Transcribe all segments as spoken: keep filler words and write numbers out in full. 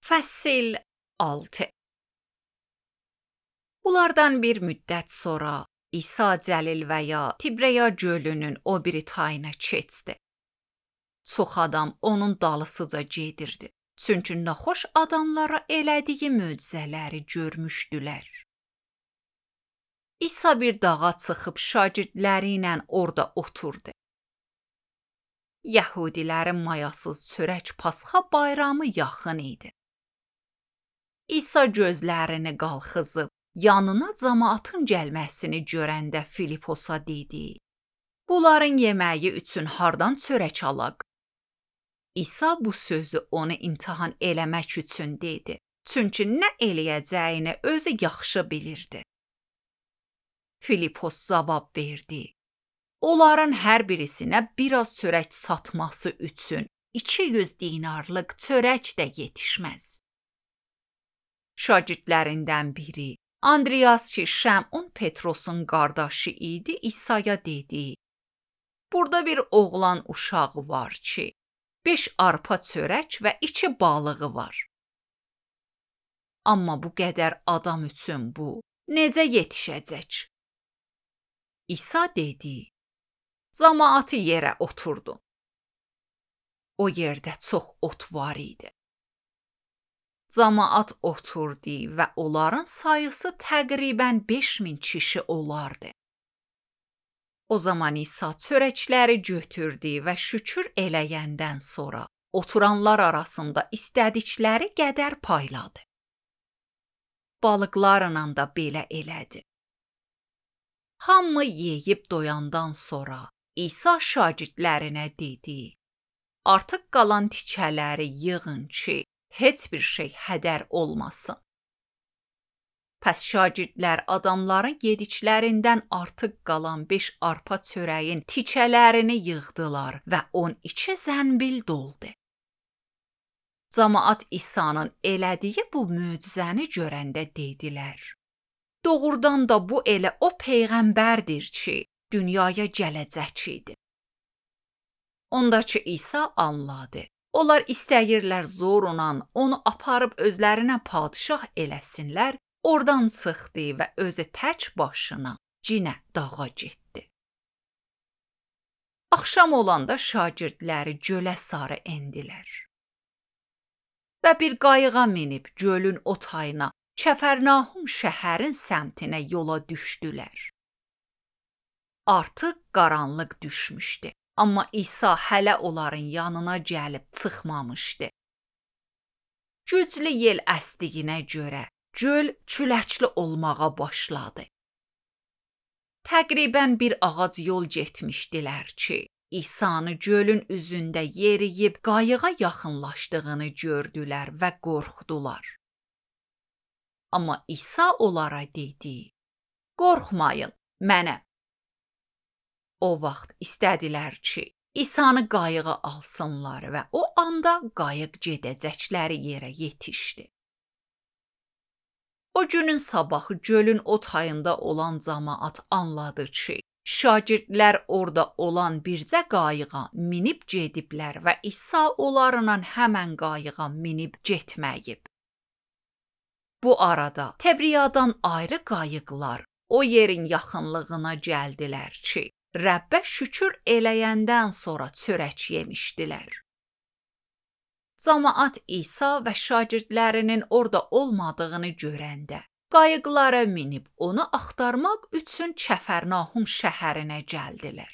Fəsil altı. Bunlardan bir müddət sonra İsa Cəlil və ya Tibreya gölünün o biri tayına keçdi. Çox adam onun dalısıca gedirdi. Çünki naxoş adamlara elədiyi möcüzələri görmüşdülər. İsa bir dağa çıxıb şagirdləri ilə orada oturdu. Yəhudilərin mayasız çörək Pasxa bayramı yaxın idi. İsa gözlərini qalxızıb, yanına cəmaatın gəlməsini görəndə Filiposa dedi: "Bunların yeməyi üçün hardan çörək alaq?" İsa bu sözü onu imtahan eləmək üçün dedi. Çünki nə eləyəcəyini özü yaxşı bilirdi. Filipos cavab verdi: "Onların hər birisinə biraz çörək satması üçün iki yüz dinarlıq çörək də yetişməz." Şagirdlərindən biri, Andreas ki, Şəmun Petrosun qardaşı idi, İsa'ya dedi: "Burada bir oğlan uşağı var ki, beş arpa çörək və iki balığı var. Amma bu qədər adam üçün bu necə yetişəcək?" İsa dedi: "Cəmaatı yerə oturdu." O yerdə çox ot var idi. Cəmaat oturdu və onların sayısı təqribən beş min kişi olardı. O zaman İsa çörəkləri götürdü və şükür eləyəndən sonra oturanlar arasında istədikləri qədər payladı. Balıqlarla da belə elədi. Hamı yeyib doyandan sonra İsa şagirdlərinə dedi: "Artıq qalan tikələri yığın ki, heç bir şey hədər olmasın." Pəs şagirdlər adamların yediklərindən artıq qalan beş arpa çörəyin tikələrini yığdılar və on iki zənbil doldu. Cəmaat İsa'nın elədiyi bu möcüzəni görəndə dedilər: "Doğrudan da bu elə o peyğəmbərdir ki, dünyaya gələcək idi." Ondakı İsa anladı. Onlar istəyirlər zorla onu aparıb özlərinə padşah eləsinlər, oradan çıxdı və özü tək başına cinə dağa getdi. Axşam olanda şagirdləri gölə sarı endilər. Və bir qayığa minib gölün o tayına, Kəfərnahum şəhərin səmtinə yola düşdülər. Artıq qaranlıq düşmüşdü. Amma İsa hələ onların yanına gəlib çıxmamışdı. Güclü yel əsdiyinə görə göl küləkli olmağa başladı. Təqribən bir ağac yol getmişdilər ki, İsa'nı gölün üzündə yeriyib qayığa yaxınlaşdığını gördülər və qorxdular. Amma İsa onlara dedi: "Qorxmayın, mənəm." O vaxt istədilər ki, İsa'nı qayığa alsınlar və o anda qayıq gedəcəkləri yerə yetişdi. O günün sabahı gölün o tayında olan cəmaat anladı ki, şagirdlər orada olan bircə qayığa minib gediblər və İsa onlarla həmən qayığa minib getməyib. Bu arada Tibriyadan ayrı qayıqlar o yerin yaxınlığına gəldilər ki, Rəbbə şükür eləyəndən sonra çörək yemişdilər. Cəmaat İsa və şagirdlərinin orada olmadığını görəndə qayıqlara minib onu axtarmaq üçün Kəfərnahum şəhərinə gəldilər.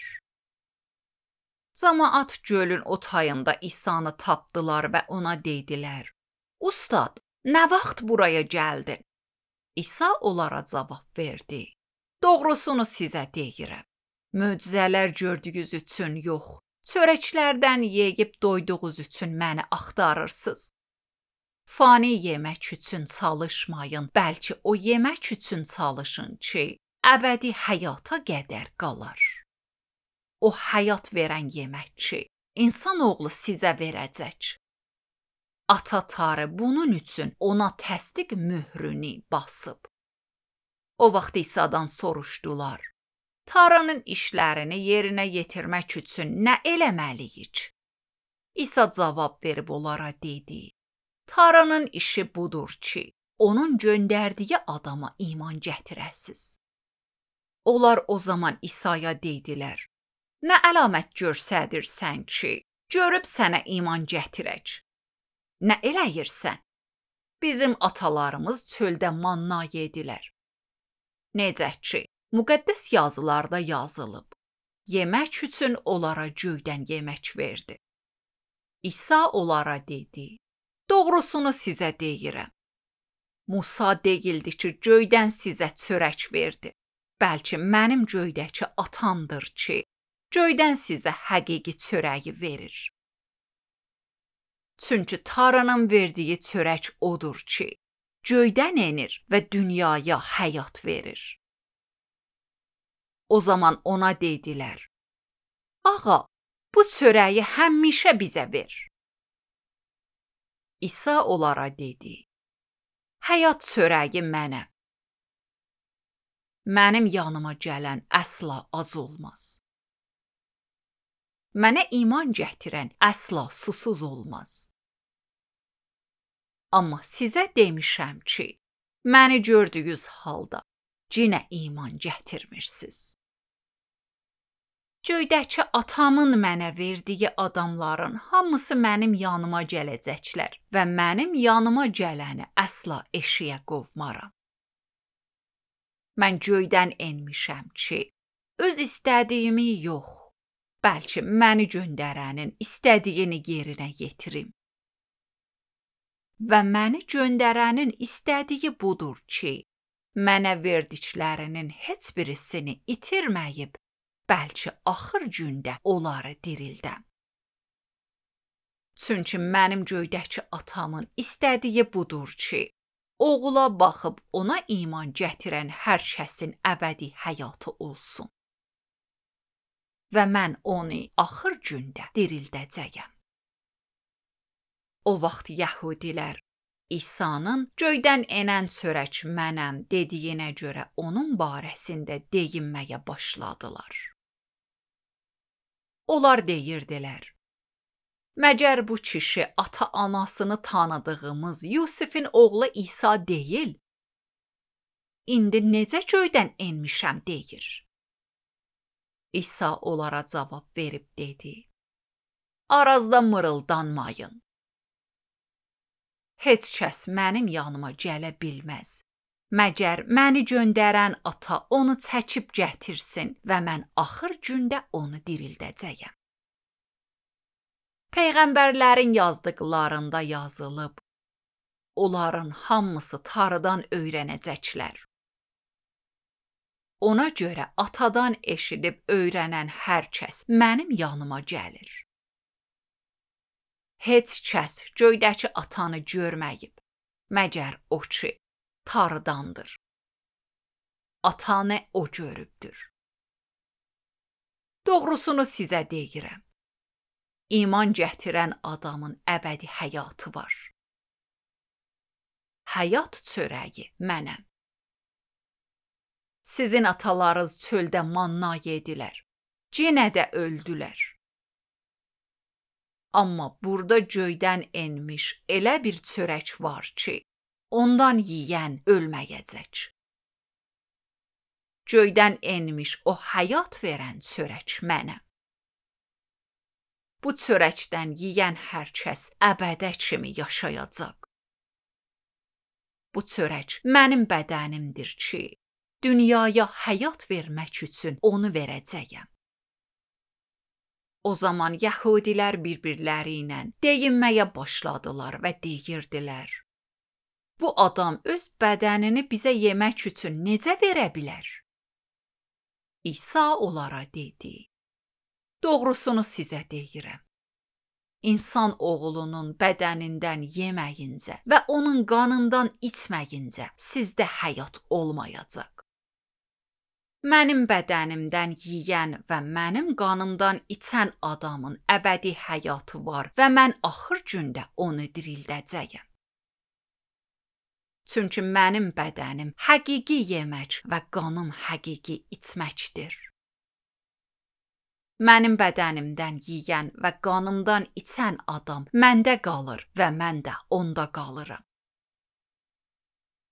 Cəmaat gölün o tayında İsa'nı tapdılar və ona dedilər: "Ustad, nə vaxt buraya gəldin?" İsa onlara cavab verdi: "Doğrusunu sizə deyirəm. Möcüzələr gördüyünüz üçün yox, çörəklərdən yeyib doyduğunuz üçün məni axtarırsınız. Fani yemək üçün çalışmayın, bəlkə o yemək üçün çalışın ki, əbədi həyata qədər qalar. O həyat verən yemək ki, insanoğlu sizə verəcək." Ata Tanrı bunun üçün ona təsdiq möhrünü basıb. O vaxt İsa'dan soruşdular: "Tanrının işlərini yerinə yetirmək üçün nə eləməliyik?" İsa cavab verib onlara dedi: Tanrının işi budur ki, onun göndərdiyi adama iman gətirəsiz. Onlar o zaman İsa'ya dedilər: Nə əlamət göstərirsən ki, görüb sənə iman gətirək? Nə eləyirsən? Bizim atalarımız çöldə manna yedilər. Necə ki, müqəddəs yazılarda yazılıb, yemək üçün onlara göydən yemək verdi. İsa onlara dedi: Doğrusunu sizə deyirəm. Musa deyildi ki, göydən sizə çörək verdi. Bəlkə mənim göydəki atamdır ki, göydən sizə həqiqi çörəyi verir. Çünki Tanrının verdiyi çörək odur ki, göydən enir və dünyaya həyat verir. O zaman ona dedilər: Ağa, bu çörəyi həmişə bizə ver. İsa onlara dedi: Həyat çörəyi mənəm. Mənim yanıma gələn əsla ac olmaz. Mənə iman gətirən əsla susuz olmaz. Amma sizə demişəm ki, məni gördüyünüz halda yenə iman gətirmirsiniz. Göydəki atamın mənə verdiyi adamların hamısı mənim yanıma gələcəklər və mənim yanıma gələni əsla eşiyə qovmaram. Mən göydən enmişəm ki, öz istədiyimi yox, bəlkə məni göndərənin istədiyini yerinə yetirim. Və məni göndərənin istədiyi budur ki, mənə verdiklərinin heç birisini itirməyib, bəlkə axır gündə onları dirildəm. Çünki mənim göydəki atamın istədiyi budur ki, oğula baxıb ona iman gətirən hər kəsin əbədi həyatı olsun. Və mən onu axır gündə dirildəcəyəm. O vaxt Yəhudilər İsa'nın göydən enən çörək mənəm dediyinə görə onun barəsində deyinməyə başladılar. Onlar deyirdilər: Məgər bu kişi ata-anasını tanıdığımız Yusifin oğlu İsa deyil? İndi necə göydən enmişəm deyir? İsa onlara cavab verib dedi: Arazda mırıldanmayın. Heç kəs mənim yanıma gələ bilməz. Məgər məni göndərən ata onu çəkib gətirsin və mən axır gündə onu dirildəcəyəm. Peyğəmbərlərin yazdıqlarında yazılıb, onların hamısı Tanrıdan öyrənəcəklər. Ona görə atadan eşidib öyrənən hər kəs mənim yanıma gəlir. Heç kəs göydəki atanı görməyib, məgər o ki, Tanrıdandır. Atanı o görübdür. Doğrusunu sizə deyirəm. İman gətirən adamın əbədi həyatı var. Həyat çörəyi mənəm. Sizin atalarınız çöldə manna yedilər, yenə də öldülər. Amma burada göydən enmiş elə bir çörək var ki, ondan yeyən ölməyəcək. Göydən enmiş o həyat verən çörək mənəm. Bu çörəkdən yeyən hər kəs əbədə kimi yaşayacaq. Bu çörək mənim bədənimdir ki, dünyaya həyat vermək üçün onu verəcəyəm. O zaman Yəhudilər bir-birləri ilə deyinməyə başladılar və deyirdilər: Bu adam öz bədənini bizə yemək üçün necə verə bilər? İsa onlara dedi: Doğrusunu sizə deyirəm. İnsan oğlunun bədənindən yeməyincə və onun qanından içməyincə sizdə həyat olmayacaq. Mənim bədənimdən yeyən və mənim qanımdan içən adamın əbədi həyatı var və mən axır gündə onu dirildəcəyəm. Çünki mənim bədənim həqiqi yemək və qanım həqiqi içməkdir. Mənim bədənimdən yeyən və qanımdan içən adam məndə qalır və mən də onda qalıram.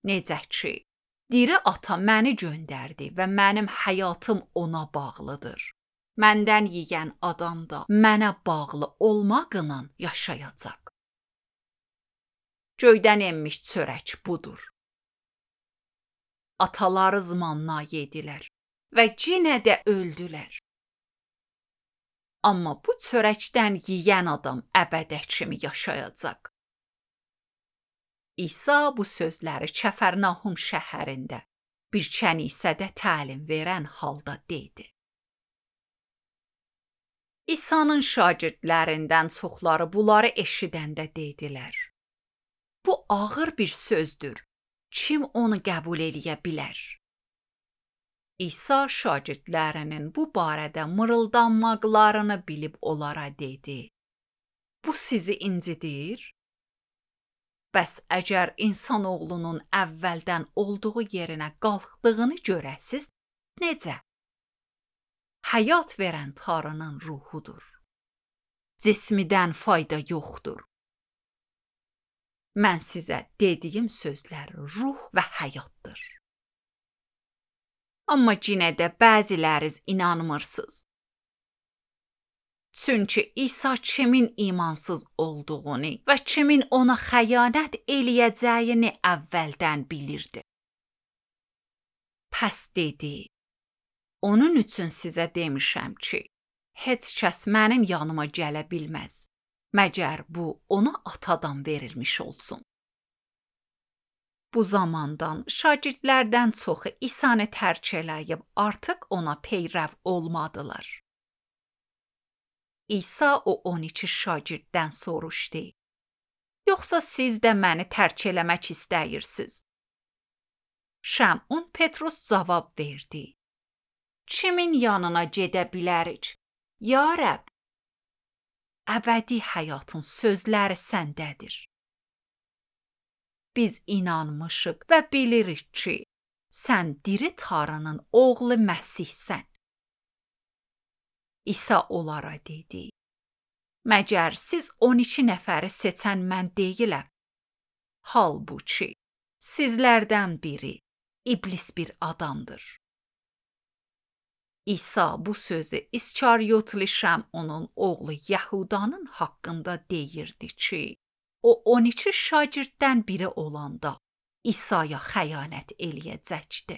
Necə ki, diri ata məni göndərdi və mənim həyatım ona bağlıdır. Məndən yeyən adam da mənə bağlı olmaqla yaşayacaq. Göydən enmiş çörək budur. Atalarız manna yedilər və yenə də öldülər. Amma bu çörəkdən yeyən adam əbədə kimi yaşayacaq. İsa bu sözləri Kəfərnahum şəhərində bir kənisədə təlim verən halda dedi. İsa'nın şagirdlərindən çoxları bunları eşidəndə dedilər. Bu ağır bir sözdür. Kim onu qəbul eləyə bilər? İsa şagirdlərinin bu barədə mırıldanmaqlarını bilib onlara dedi. Bu sizi incidir? Bəs əgər insanoğlunun əvvəldən olduğu yerinə qalxdığını görəsiz, necə? Həyat verən Tanrının ruhudur. Cismidən fayda yoxdur. Mən sizə dediyim sözlər ruh və həyatdır. Amma yenə də bəziləriz inanmırsınız. Çünki İsa kimin imansız olduğunu və kimin ona xəyanət eləyəcəyini əvvəldən bilirdi. Pəs dedi, onun üçün sizə demişəm ki, heç kəs mənim yanıma gələ bilməz, məgər bu ona atadan verilmiş olsun. Bu zamandan şagirdlərdən çoxu İsa'nı tərk eləyib artıq ona peyrəv olmadılar. İsa o on iki şagirddən soruşdu. Yoxsa siz də məni tərk eləmək istəyirsiniz? Şəmun Petrus cavab verdi. Kimin yanına gedə bilərik? Ya Rəbb, əbədi həyatın sözləri səndədir. Biz inanmışıq və bilirik ki, sən diri Tanrının oğlu Məsihsən. İsa onlara dedi. Məgər siz on iki nəfəri seçən mən deyiləm. Halbuki sizlərdən biri iblis bir adamdır. İsa bu sözü İskariyotlu Şəmunun oğlu Yəhudanın haqqında deyirdi ki, o on iki şagirddən biri olanda İsa'ya xəyanət eləyəcəkdi.